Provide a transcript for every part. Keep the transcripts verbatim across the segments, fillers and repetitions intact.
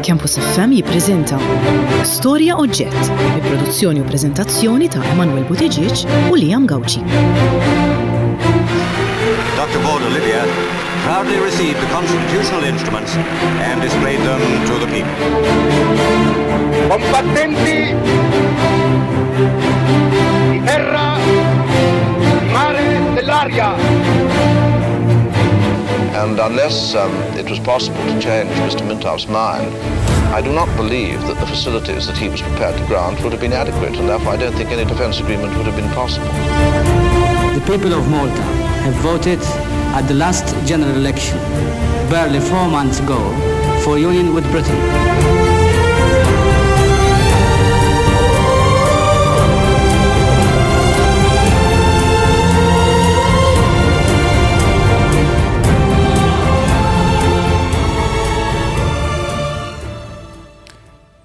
Campus F M jippreżenta Storja Oġġett bi produzzjoni u preżentazzjoni ta' Emanuel Buttigieg u Liam Gauci. Doctor Borg Olivier proudly received the constitutional instruments and displayed them to the people. Combattenti di terra, di mare, dell'aria. And unless um, it was possible to change Mister Mintoff's mind, I do not believe that the facilities that he was prepared to grant would have been adequate, and therefore I don't think any defence agreement would have been possible. The people of Malta have voted at the last general election, barely four months ago, for union with Britain.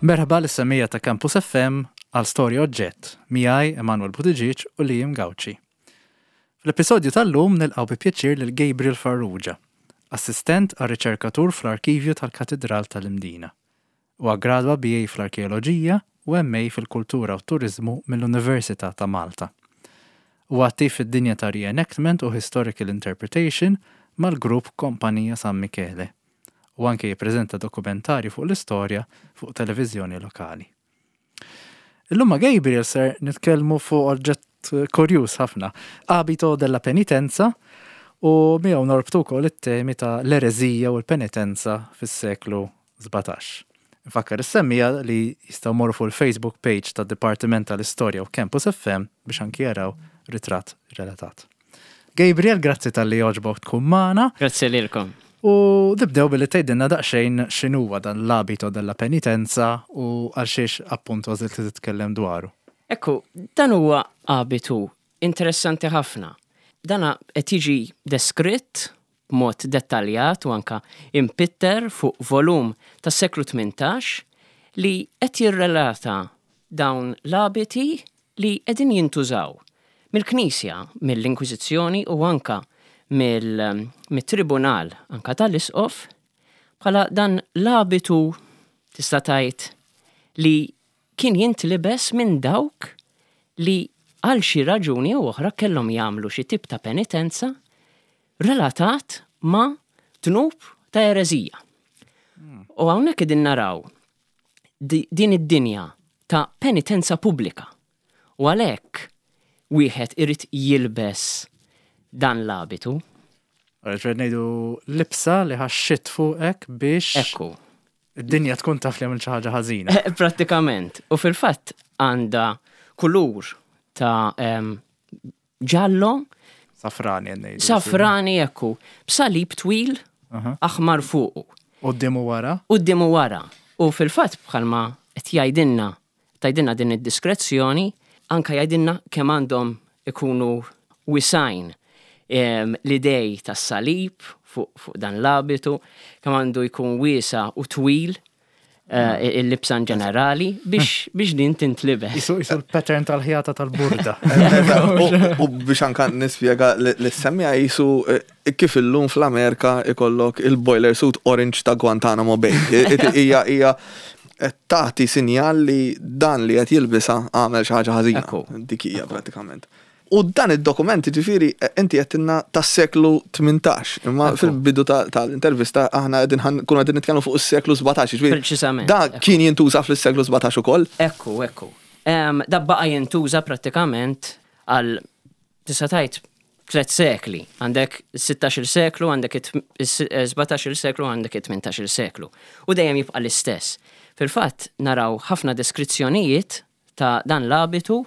Merħba lis-semmiegħa ta' Campus F M għal Storja Oġġett, miegħi Emanuel Buttigieg u Liam Gauci. Fl-episodju tal-lum nilqgħu bi pjaċir lil Gabriel Farrugia, assistent għal riċerkatur fl-Arkivju tal-Katedral tal-Imdina. U gradwa B A fl-Arkeoloġija u M A fil-Kultura u Turizmu mill-Università ta' Malta. U attiv fid-dinja ta' reenactment u historical interpretation mal-grupp Kompanija San Michele u anke jippreżenta dokumentari fuq l-istorja fuq televiżjoni lokali. Illum ma' Gabriel ser nitkellmu fuq oġġett kurjuż ħafna, Abito della Penitenza, u miegħu norbtu wkoll it-temi ta' l-ereżija u l-penitenza fis-seklu sbatax. Nfakkar is-semmiegħa li jistgħu morru fuq il-Facebook page tad Dipartiment tal-Istorja u Campus F M biex anki jaraw ritratt relatat. Gabriel, grazzi talli għoġbok tkun magħna. Grazzi lilkom. U nibdew billi tgħidilna daqsxejn x'inhuwa dan l-abito della penitenza u għal xiex appuntu għażilt li titkellem dwaru. Ekku, dan huwa abitu interessanti ħafna. Dana qed jiġi deskritt b'mod dettaljat u anka impitter fuq volum tas-seklu tmintax li qed jirrelata dawn l-abiti li qegħdin jintużaw mill-Knisja, mill-Inkwiżizzjoni u anka mill-tribunal anka tal-Isqof bħala dan l-abitu, tista' tgħid, li kien jintlibes minn dawk li għal xi raġuni u oħra kellhom jagħmlu xi tip ta' penitenza relatat ma' dnub ta' ereżija. U hawnhekk qegħdin naraw din id-dinja ta' penitenza pubblika. U għalhekk wieħed irid jilbes dan l-abitu. Għalhekk ngħidu libsa li ħaxxit fuqek biex Ekku. id-dinja tkun taf li għamilt xi ħaġa ħażina. Prattikament. U fil-fatt għandha kulur ta' ġallo. Safrani ngħidu. Safrani, ekku. B'salib twil aħmar fuqu. Quddiem u wara? Quddiem u wara. U fil-fatt bħalma qed jgħidilna, tgħidilna din id-diskrezzjoni, anka jgħidilna kemm għandhom ikunu wisgħin l-idej tas-salib fuq fu dan l-abitu, kemm għandu jkun wiesa' u twil eh, il-libsa ġenerali biex, biex din tintlibes. Isu isu l-pattern tal-ħjata tal-burda. U biex anka nispjega lis-semmiegħa, jisu eh, kif illum fl-Amerika ikollok il-boiler suit orange ta' Guantanamo Bay. Hija hija tagħti sinjal li dan li qed jilbisha għamel xi ħaġa ħażina. Dik hija prattikament. U dan id-dokument, ġifieri, inti għedtilna tas-seklu tmintax, imma fil-bidu tal-intervista aħna qegħdin kunu qegħdin nitkellmu fuq is-seklu sbatax, ġifieri. Preċisament. Da kien jintuża fil-seklu sbatax ukoll? Ekku, ekku. Da baqa jintuża prattikament għal, tista' tgħid, tliet sekli. Għandek sittax-il seklu, għandek sbatax-il seklu, għandek tmintax-il seklu. U dejjem jibqa' l-istess. Fil-fatt naraw ħafna deskrizzjonijiet ta' dan l-abitu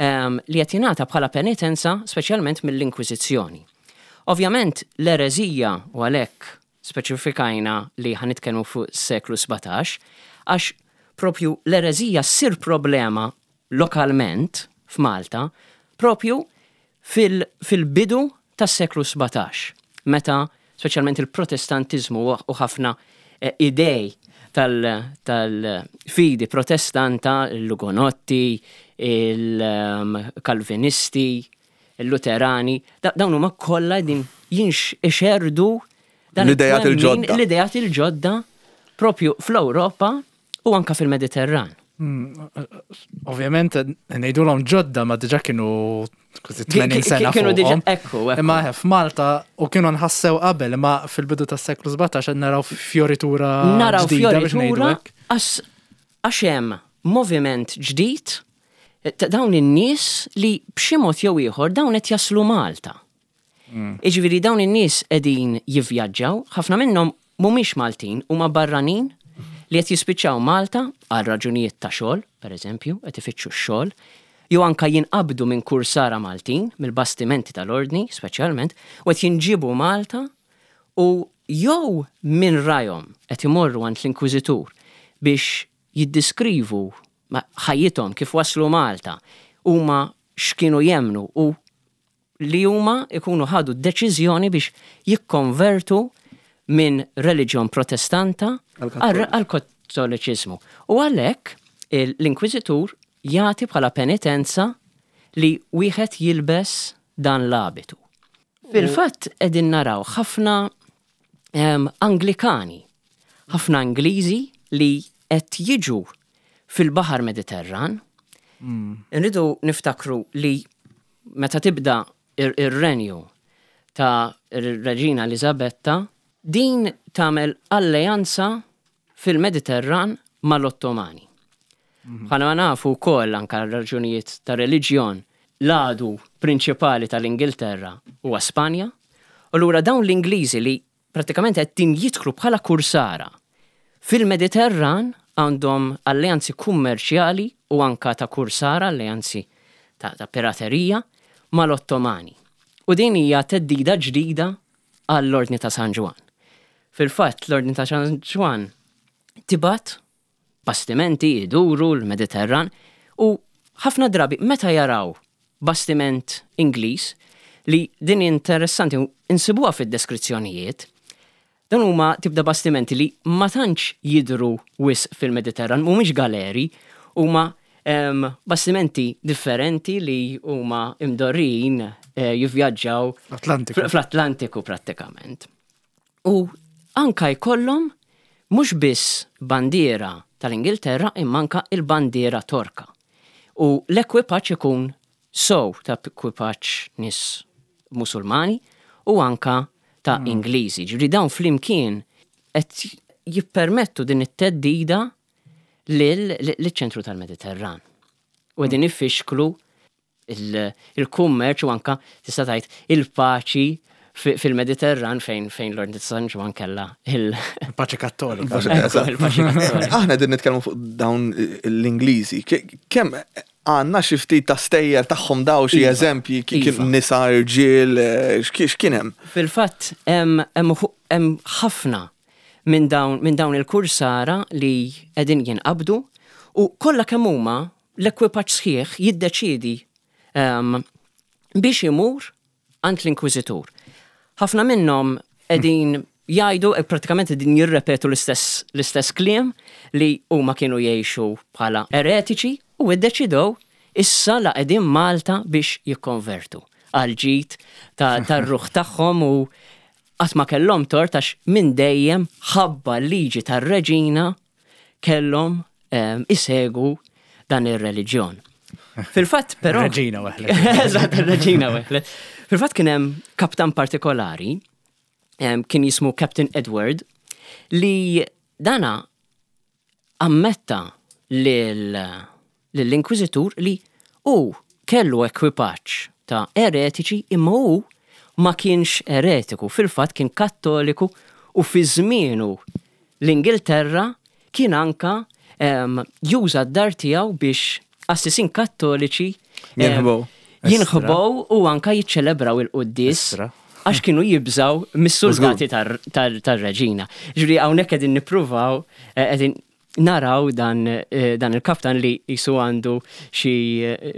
li qed jingħata bħala penitenza, speċjalment mill-Inkwiżizzjoni. Ovvjament l-ereżija, u għalhekk speċifikajna li ħa nitkellmu fuq seklu sbatax, għax propju l-ereżija ssir problema lokalment f'Malta propju fil-bidu tas-seklu sbatax, meta speċjalment il-Protestantizmu u ħafna eh, idej tal-fidi protestanta, l-Ugonotti, il-Kalvinisti, il-Luterani, dawn huma kollha din jinx ixerdu dan l-idejat il-ġodda. L-idejat il-ġodda propju fl-Ewropa u anka fil-Mediterran. Ovvjament, ngħidulhom ġodda ma diġà kienu kważi tmenin sena Kienu diġà, fuqhom. Ekku, ekku. Imma f'Malta u kienu nħassew qabel, imma fil-bidu tas-seklu sbatax qed naraw fjoritura Naraw ġdida biex ngħidu fjoritura hekk. għax għax hemm moviment ġdid ta' dawn in-nies li b'xi mod jew ieħor dawn qed jaslu Malta. Iġifieri dawn in-nies qegħdin jivvjaġġaw, ħafna minnhom mhumiex Maltin, huma barranin li qed jispiċċaw Malta għal raġunijiet ta' xogħol, pereżempju, qed ifittxu x-xogħol, jew anka jinqabdu minn kursara Maltin, mill-bastimenti tal-ordni, speċjalment, u qed jinġibu Malta u jew minn rajhom qed imorru għand l-Inkwiżitur biex jiddiskrivu ma- ħajjithom kif waslu Malta, huma x'kienu jemnu u li huma ikunu ħadu deċiżjoni biex jikkonvertu minn reliġjon Protestanta Għal-Kattoliċ. għal kattoliċiżmu. U għalhekk il- l-Inkwiżitur jagħti bħala penitenza li wieħed jilbes dan l-abitu. Fil-fatt qegħdin naraw ħafna em, Anglikani, ħafna Ingliżi li qed jiġu fil-Baħar Mediterran. Nridu niftakru li meta tibda ir- ir-renju ta' ir-Reġina Elizabetta, din tagħmel alleanza fil-Mediterran mal-Ottomani. Bħalma ma nafu wkoll anka raġunijiet ta' reliġjon, l-għadu prinċipali tal-Ingilterra huwa Spanja. U allura dawn l-Ingliżi li pratikament qed jidħlu bħala kursara fil-Mediterran għandhom alleanzi kummerċjali u anka ta' kursara, alleanzi ta', ta' piraterija mal-Ottomani. U din hija theddida ġdida għall-Ordni ta' San Ġwann. Fil-fatt, l-Ordni ta' San Ġwann tibgħat bastimenti iduru l-Mediterran u ħafna drabi meta jaraw bastiment Ingliż, li din interessanti insibuha fid-deskrizzjonijiet, dan huma tibda bastimenti li ma tantx jidru wisq fil-Mediterran, mhumiex galeri, huma em, bastimenti differenti li huma imdorrin eh, jivvjaġġaw L-Atlantiku. fl- fl-Atlantiku prattikament. U anka jkollhom mhux biss bandiera tal-Ingilterra imma anka il-bandiera Torka. U l-ekwipaġġ ikun sow ta' ekwipaġġ nies Musulmani u anka ta' Ingliżi. Ġifieri dawn flimkien qed jippermettu din it-theddida lill-ċentru tal-Mediterran. U qegħdin ifixklu il- il-kummerċ u anka tista' tgħid il-paċi fi- fil-Mediterran fejn fejn l-Ordni ta' San Ġwann kellha il- Il-paċi Kattolika. Ekku, il-paċi Kattolika. Aħna din nitkellmu fuq dawn l-Ingliżi. Ke- Kemm għandna xi ftit ta' stejjer tagħhom daw, xi Iva. eżempji ki- Iva. kien nisa, irġiel, eh, x'kien x'kien hemm? Fil-fatt, hemm hemm uħu- hemm ħafna minn dawn minn dawn il-kursara li qegħdin jinqabdu u kollha kemm huma l-ekwipaġġ sħiħ jiddeċidi em, biex imur għand l-Inkwiżitur. Ħafna minnhom qegħdin jgħidu, e pratikament qegħdin jirrepetu l-istess l-istess kliem li huma kienu jgħixu bħala eretiċi u iddeċidew issa la qegħdin Malta biex jikkonvertu għal ġid ta' tar-ruħ tagħhom u qatt ma kellhom tort għax minn dejjem ħabba l-liġi tar-reġina kellhom em, isegu dan ir-reliġjon. Fil-fatt però Reġina weħlet. Eżatt, ir-reġina weħlet. Fil-fatt kien hemm kaptan partikolari, em, kien jismu Captain Edward, li dana ammetta lill-Inkwiżitur li hu kellu ekwipaġġ ta' eretiċi imma hu ma kienx eretiku, fil-fatt kien Kattoliku u fi żmienu l-Ingilterra kien anka em, juża d-dar tiegħu biex qassisin Kattoliċi em, Jinħbow. jinħbow u anka jiċċelebraw il-quddies Istra. għax kienu jibżaw mis-soldati tar-reġina. Ġifieri hawnhekk qegħdin nippruvaw eh, qegħdin naraw dan, eh, dan il-kaptan li jisu għandu xi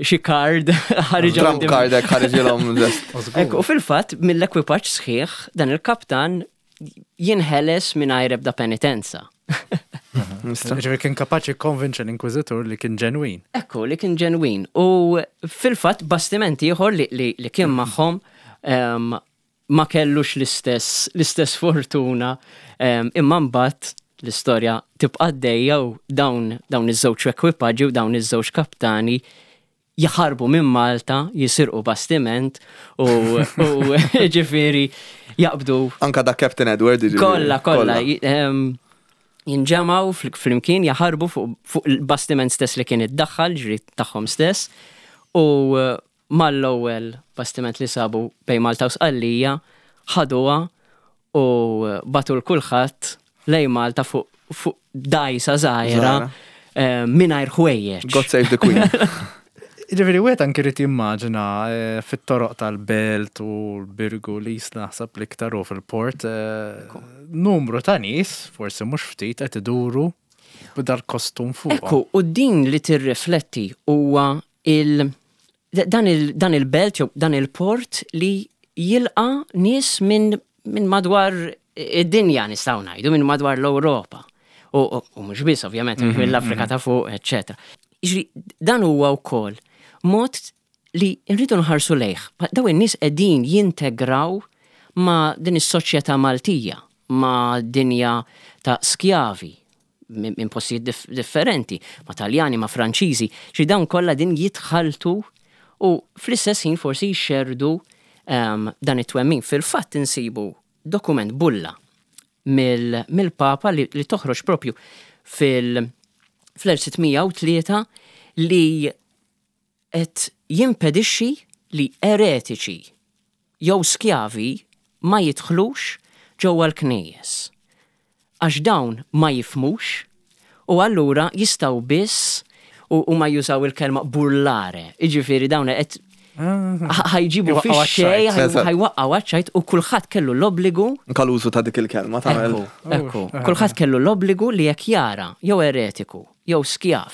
xi card ħariġa Trump card hekk ħariġilhom lest. Ekku, u fil-fatt mill-ekwipaġġ sħiħ dan il-kaptan jinħeles mingħajr ebda penitenza. Ġifieri kien kapaċi konvinċa l-Inkwiżitur li kien ġenwin. Ekku, li kien ġenwin. U fil-fatt bastimenti ieħor li, li, li kien magħhom em, ma kellux l-istess l-istess fortuna em, imma mbagħad l-istorja tibqa' għaddejja u dawn dawn iż-żewġ ekwipaġġi u dawn iż-żewġ kaptani jaħarbu minn Malta, jisirqu bastiment u, u ġifieri jaqbdu Anka da Captain Edward. Jiġifieri. Kolla, kolla. j- em, Jinġemaw fl- flimkien, jaħarbu fuq fuq il-bastiment stess li kien iddaħħal, ġri tagħhom stess, u eh, mal-ewwel bastiment li sabu bejn Malta u Sqallija ħaduha u eh, batu l kulħadd lejn Malta fuq fuq dajsa żgħira Żgħira. eh, mingħajr ħwejjeġ. God save the Queen. Ġifieri, wieħed anki jrid jimmaġina eh, fit-toroq tal-Belt u l-Birgu li naħseb l-iktar u fil-port, eh, numru ta' nies, forsi mhux ftit, qed iduru b'dal-kostum fuq. Ekku, u din li tirrifletti huwa il dan il dan il-belt jew dan il-port li jilqa nies minn min madwar id-dinja nistgħu ngħidu, minn madwar l-Ewropa. U, u, u mhux biss ovvjament mill-Afrika ta' fuq, eċċetera. Jiġri dan huwa wkoll mod li nridu nħarsu lejh. Daw in-nies qegħdin jintegraw ma' din is-soċjetà Maltija, ma' dinja ta' skjavi minn min postijiet dif differenti, ma' Taljani, ma' Franċiżi, xi dawn kollha din jitħaltu u fl-istess ħin forsi jxerdu um, dan it-twemmin. Fil-fatt insibu dokument bulla mill- mill-Papa li, li toħroġ propju fil- fl-elf sitt mija u tlieta li qed jimpedixxi li eretiċi jew skjavi ma jidħlux ġewwa l-knejjes. Għax dawn ma jifhmux u allura jistgħu biss u, u ma jużaw il-kelma burlare. Iġifieri dawn qed ħa jġibu Iwaqqgħu fix-xejn, għaċ-ċajt. ħa jwaqqgħu għaċ-ċajt u kulħadd kellu l-obbligu. Anka l-użu ta' dik il-kelma tagħmel. Ekku, ekku. Kulħadd kellu l-obbligu li jekk jara jew eretiku jew skjav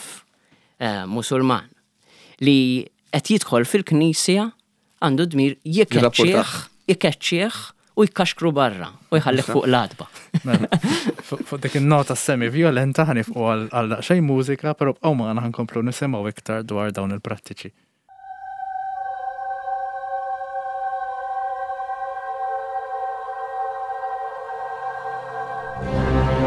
eh, musulman li qed jidħol fil-knisja għandu dmir jkeċċih, Jirrapportah. jkeċċih u jkaxkru barra u jħallih fuq l-għatba. Mela, Fuq fuq dik il-nota semi-violenta ħa nieqfu għal għal daqsxejn mużika, però bqgħu magħna, ħa nkomplu nisimgħu iktar dwar dawn il-prattiċi. Thank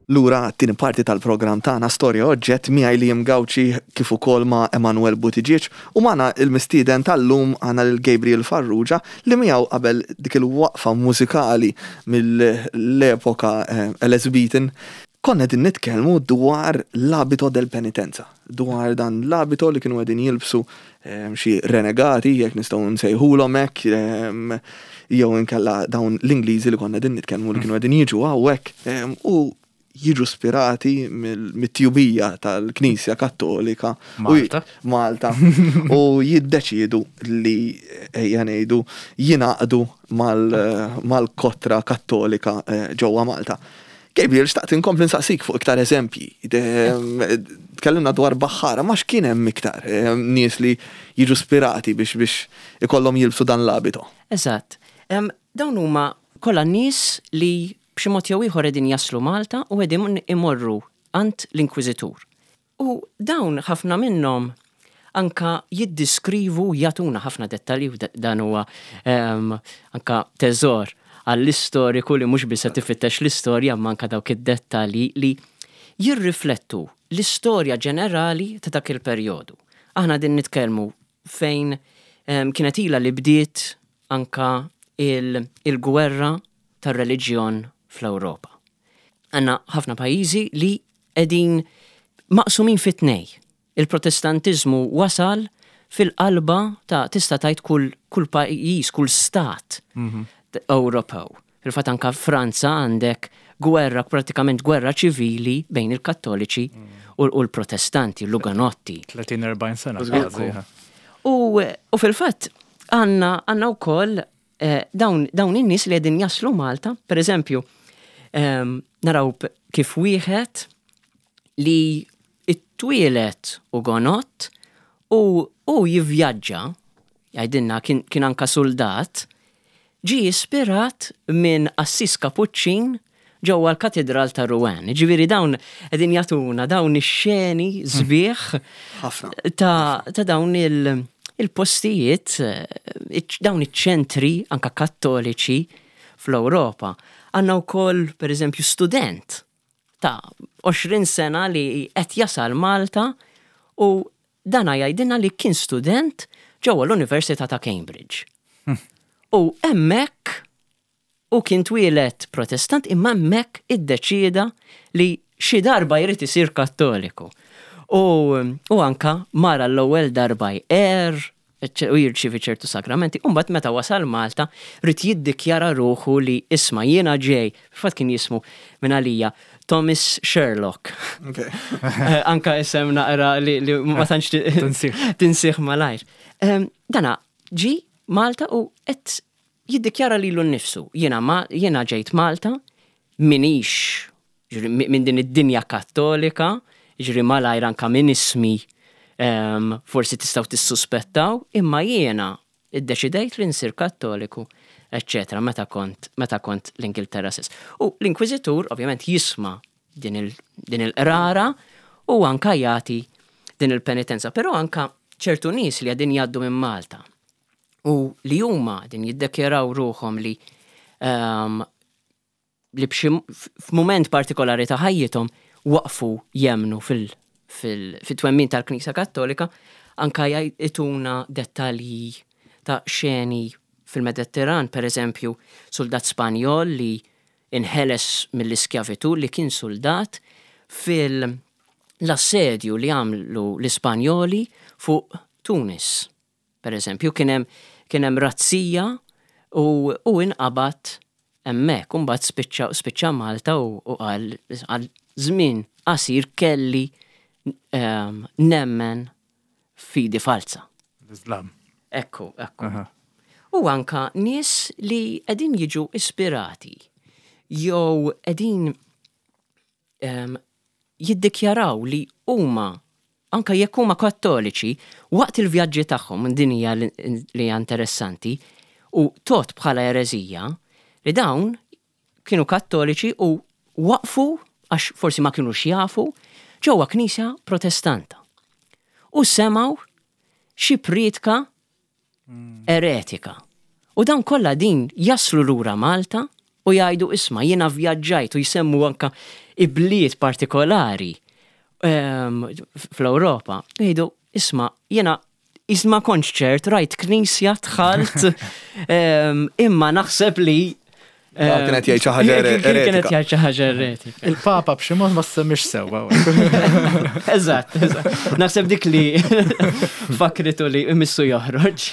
Lura għat-tieni parti tal-programm tagħna Storja Oġġett miegħi Liam Gauci kif ukoll ma' Emanuel Buttigieg u magħna il-mistieden tal-lum għandna lil Gabriel Farrugia li miegħu qabel dik il-waqfa mużikali mill-epoka eh, Elizabethan konna qegħdin nitkellmu dwar l-abito del penitenza, dwar dan l-abito li kienu qegħdin jilbsu eh, xi renegati, jekk nistgħu nsejħulhom hekk, eh, jew inkella dawn l-Ingliżi li konna qegħdin nitkellmu li kienu qegħdin jiġu hawnhekk eh, u jiġu spirati mit-tjubija tal-Knisja Kattolika. u Malta. Malta. U jiddeċidu li ejja ngħidu jingħaqdu mal- mal-kotra kattolika eh, ġewwa Malta. Gabriel, xtaqt inkompli nsaqsik fuq iktar eżempji. De- Tkellimna dwar baħħara, ma x'kien hemm iktar eh, nies li jiġu spirati biex biex ikollhom jilbsu dan l-abito. Eżatt. Em, Dawn huma kollha nies li b'xi mod jew ieħor qegħdin jaslu Malta u qegħdin imorru għand l-Inkwiżitur. U dawn ħafna minnhom anka jiddiskrivu jagħtuna ħafna dettalji u da- dan huwa em, anka teżor għall-istoriku li mhux biss qed tifittex l-istorja imma anka dawk id-dettalji li jirriflettu l-istorja ġenerali ta' dak il-perjodu. Aħna din nitkellmu fejn em, kienet ila li bdiet anka il- il-gwerra tar-reliġjon fl-Ewropa. Għanna ħafna pajjiżi li qegħdin maqsumin fi tnej. Il-Protestantiżmu wasal fil-qalba ta' tista' tgħid kull, kull pajjiż, kull stat Ewropew. Fil-fatt anka Franza għandek gwerra, pratikament gwerra ċivili bejn il-Kattoliċi u u l-Protestanti, l-Uganotti. tletin erbgħin sena. Ekku. Kważi, ha. U, u fil-fatt għanna għanna wkoll eh, dawn, dawn in-nies li qegħdin jaslu Malta, per eżempju, em, naraw p- kif wieħed li it-twieled Ugonott u, u jivvjaġġa, jgħidilna kien, kien anka soldat, ġi ispirat minn qassis Kapuċċin ġewwa l-Katedral ta' Rouen. Ġifieri dawn qegħdin jagħtuna dawn ix-xeni sbieħ Ħafna. ta', ta' dawn il- il-postijiet, eh, iċ- dawn iċ-ċentri anka kattoliċi fl-Ewropa. Għandna wkoll, per eżempju, student ta' għoxrin sena li qed jasal Malta u dana jgħidilna li kien student ġewwa l-Università ta' Cambridge. U hemmhekk u kien twieled protestant imma hemmhekk iddeċieda li xi darba jrid isir kattoliku. U, u anka mara l-ewwel darba jqer u jirċivi ċertu sagramenti. U mbagħad meta wasal Malta ried jiddikjara ruħu li isma' jiena ġej, fatt kien jismu minn għalija Thomas Sherlock. Okay. Eh, anka isem naqra li, li ma tantx ti- Tinsih. tinsih malajr. Em, Dana ġi Malta u qed jiddikjara lilu nnifsu. Jiena ma jiena ġejt Malta minix ġifieri, mi- minn din id-dinja kattolika, ġifieri malajr anka minn ismi em, forsi tistgħu tissuspettaw, imma jiena iddeċidejt li nsir kattoliku, eccetera, meta kont, meta kont l-Ingilterra stess. U l-Inkwiżitur ovvjament jisma' din il- din il-qrara u anka jagħti din il-penitenza, però anka ċertu nies li qegħdin jgħaddu minn Malta u li huma din jiddekjaraw ruħhom li um, li b'xi f'mument partikolari ta' ħajjithom waqfu jemnu fil- fil- fit-twemmin tal-Knisja Kattolika, anka jgħiduna dettalji ta' xeni fil-Mediterran, per eżempju, soldat Spanjol li inħeles mill-iskjavitu li kien soldat fil-assedju li għamlu l-Ispanjoli fuq Tunis. Per eżempju, kien hemm kien hemm razzija u, u inqabad hemmhekk, u mbagħad spiċċa spiċċa Malta u, u għal għal żmien qasir kelli um, nemmen fidi falsa. L-Islam. Ekku, ekku. Aha. U anka nies li qegħdin jiġu ispirati jew qegħdin um, jiddikjaraw li huma anka jekk huma kattoliċi waqt il-vjaġġi tagħhom din hija li li hija interessanti u tot bħala ereżija li dawn kienu kattoliċi u waqfu għax forsi ma kienux jafu ġewwa knisja protestanta. U semgħu xi priedka eretika. U dawn kollha din jaslu lura Malta u jgħidu isma' jiena vjaġġajt u jsemmu anka ibliet partikolari em, fl-Ewropa, jgħidu, isma', jiena isma' kontx ċert, rajt knisja dħalt, em, imma naħseb li Ah, kienet jgħid xi ħaġa Kien- Kienet eretika. jgħid xi ħaġa eretika. Il-Papa b'xi mod ma semmix sewwa. Eżatt, eżatt. Naħseb dik li fakritu li imissu joħroġ.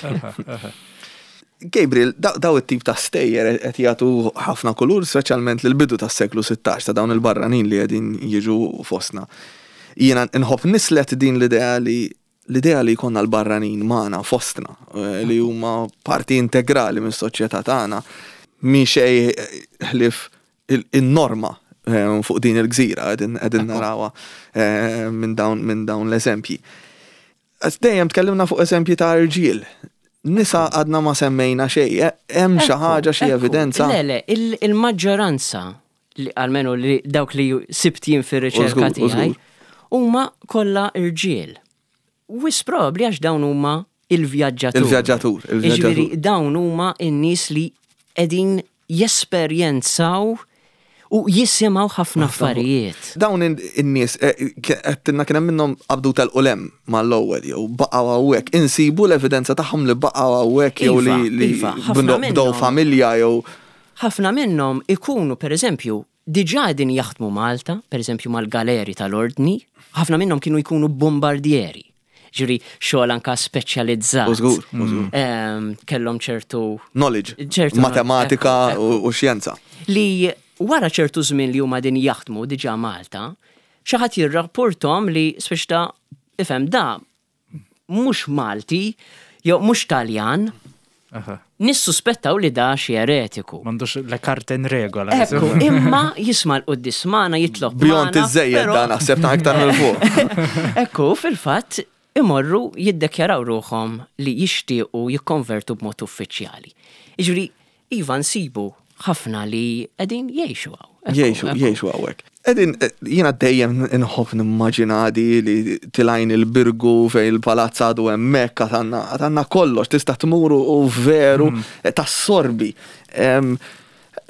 Gabriel, da- daw it-tip ta' stejjer qed jagħtu ħafna kulur, speċjalment lil bidu tas-seklu sittax ta' dawn il-barranin li qegħdin jiġu fostna. Jiena nħobb nislet din l-idea li l-idea li jkollna l-barranin magħna fostna, eh, li huma parti integrali mis-soċjetà tagħna, mi xej ħlif il-norma eh, fuq din il-gżira qegħdin qegħdin narawha eh, minn dawn minn dawn l-eżempji. Għax dejjem tkellimna fuq eżempji ta' irġiel. Nisa għadna ma semmejna xejn, eh, hemm xi ħaġa, xi Ekku, evidenza. Le, le, il- il-maġġoranza, li almenu li dawk li sibt jien fir-riċerka U żgur, u tiegħi, żgur. huma kollha irġiel. Wisq probabbli għax dawn huma il-vjaġġatur. Il-vjaġġatur, il-vjaġġatur. Jiġifieri dawn huma n-nies li qegħdin jesperjenzaw u jisimgħu ħafna affarijiet. Dawn in- in-nies eh, għedtilna kien hemm minnhom qabdu tal-qulem mal-ewwel jew baqgħu hawnhekk. Insibu l-evidenza tagħhom li baqgħu hawnhekk jew li Iva, li iva, ħafna bdew bdew minnhom. familja jew Ħafna minnhom ikunu, per eżempju, diġà qegħdin jaħdmu Malta, per eżempju mal-galeri tal-ordni, ħafna minnhom kienu jkunu bombardieri. Ġifieri xogħol anka speċjalizzat. U żgur, u żgur. Em, Kellhom ċertu Knowledge, ċertu matematika ekku, u u xjenza. Li wara ċertu żmien li huma din jaħdmu diġà Malta, xi ħadd jirrapportom li speċi ta' ifhem da mhux Malti jew mhux Taljan, nissuspettaw li da xi eretiku. M'għandux le carte in regola. Ekku, imma jisma' l-quddies magħna, jitlob Beyond magħna, iż-żejjed però- da naħseb ta' iktar minn fuq. Ekku, fil-fatt, imorru jiddekjaraw ruħhom li jixtiequ jikkonvertu b'mod uffiċjali. Jiġifieri, iva, nsibu ħafna li qegħdin jgħixu hawn. Ekku, Jgħixu, ekku. jgħixu hawnhekk. Qegħdin, eh, jiena dejjem inħobb nimmaġina di li tilajn il-Birgu fejn il-palazz għadu hemmhekk, għad għandna kollox, tista' tmuru u veru eh, tassorbi. Em,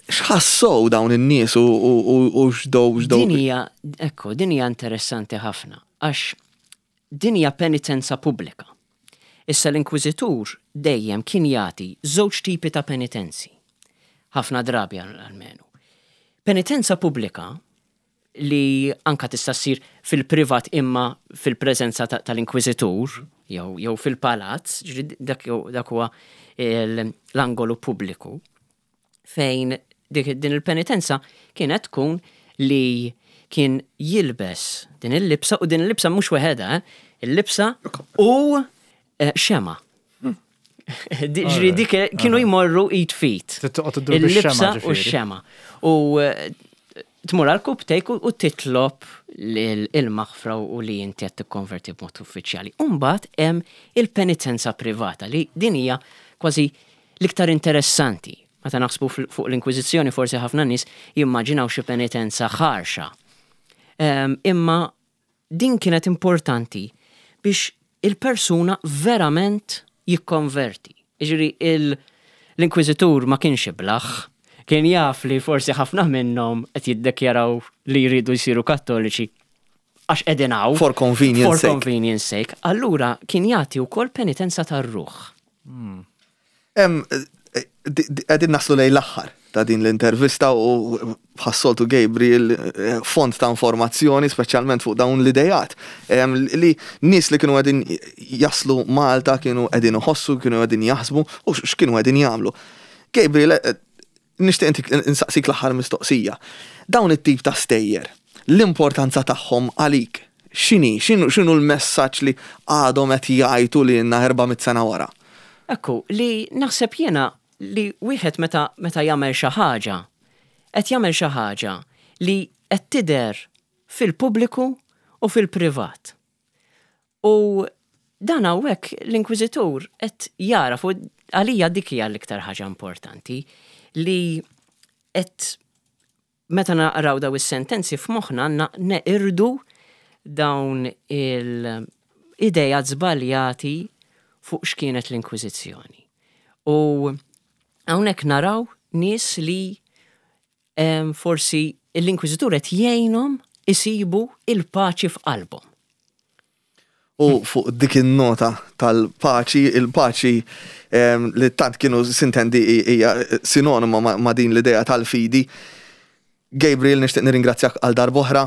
X'ħassow dawn in-nies u u- u- u x'dow x'dow. Din hija, ekku, din hija interessanti ħafna, għax din hija penitenza pubblika. Issa l-Inkwiżitur dejjem kien jagħti żewġ tipi ta' penitenzi. Ħafna drabi almenu. Penitenza pubblika li anka tista' ssir fil-privat imma fil-preżenza ta- tal-inkwiżitur jew jew fil-palazz, ġifieri dak dak huwa l- l-angolu pubbliku fejn dik din il-penitenza kienet tkun li kien jilbes din il-libsa u din il-libsa mhux weħeda, eh? Il-libsa u eh, xema. Di- Ġifieri dik kienu jmorru id f'id. Toqgħod iddur bix-xema, Il-libsa u ġifieri. x-xema. U eh, tmur għal rkupptejk u u titlob l- il-maħfra u li inti qed tikkonverti b'mod uffiċjali. Umbagħad hemm il-penitenza privata li din hija kważi l-iktar interessanti. Meta naħsbu fil- fuq l-Inkwiżizzjoni forsi ħafna nies jimmaġinaw xi penitenza ħarxa. Em, Imma din kienet importanti biex il-persuna verament jikkonverti. Jiġifieri il- l-inkwiżitur ma kienx iblaħ, kien jaf li forsi ħafna minnhom qed jiddekjaraw li jridu jsiru Kattoliċi għax qegħdin hawn. For convenience For sake. convenience sake. Allura kien jagħti wkoll penitenza tar-ruħ. Em, eh, di- di- Qegħdin naslu lejn l-aħħar ta' din l-intervista u bħas-soltu Gabriel eh, font ta' informazzjoni speċjalment fuq dawn l-idejat. Em, Li nies li kienu qegħdin jaslu Malta kienu qegħdin iħossu, kienu qegħdin jaħsbu u x'kienu qegħdin jagħmlu. Gabriel, eh, nixtieq intik insaqsik l-aħħar mistoqsija. Dawn it-tip ta' stejjer, l-importanza tagħhom għalik, x'inhi, x'inhu x'inhu l-messaġġ li għadhom qed jgħidu li lna erba' mitt sena wara? Ekku, li naħseb jiena li wieħed meta meta jagħmel xi ħaġa, qed jagħmel xi ħaġa li qed tidher fil-pubbliku u fil-privat. U dan hawnhekk l-inkwiżitur qed jara fuq għalija dik hija l-iktar ħaġa importanti li qed meta naqraw daw is-sentenzi f'moħħna għandna neqirdu dawn il-idejat żbaljati fuq x'kienet l-Inkwiżizzjoni. U hawnhekk naraw nies li em, forsi L-Inkwiżitur qed jgħinhom isibu il-paċi f'qalbhom. U fuq dik in-nota tal-paċi, il-paċi li tant kienu sintendi hija sinonima ma' din l-idea tal-fidi. Gabriel, nixtieq nirringrazzjak għal darb'oħra.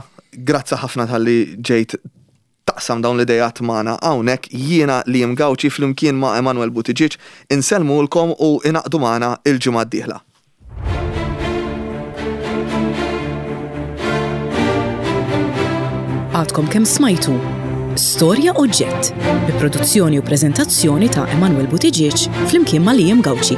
Grazzi ħafna talli ġejt taqsam dawn l-idejat magħna hawnhekk. Jiena Liam Gauci flimkien ma' Emanuel Buttigieg insellmulkom u ingħaqdu magħna il-ġimgħa d-dieħla. Għadkom kemm smajtu Storja Oġġett bi produzzjoni u preżentazzjoni ta' Emanuel Buttigieg flimkien ma' Liam Gauci.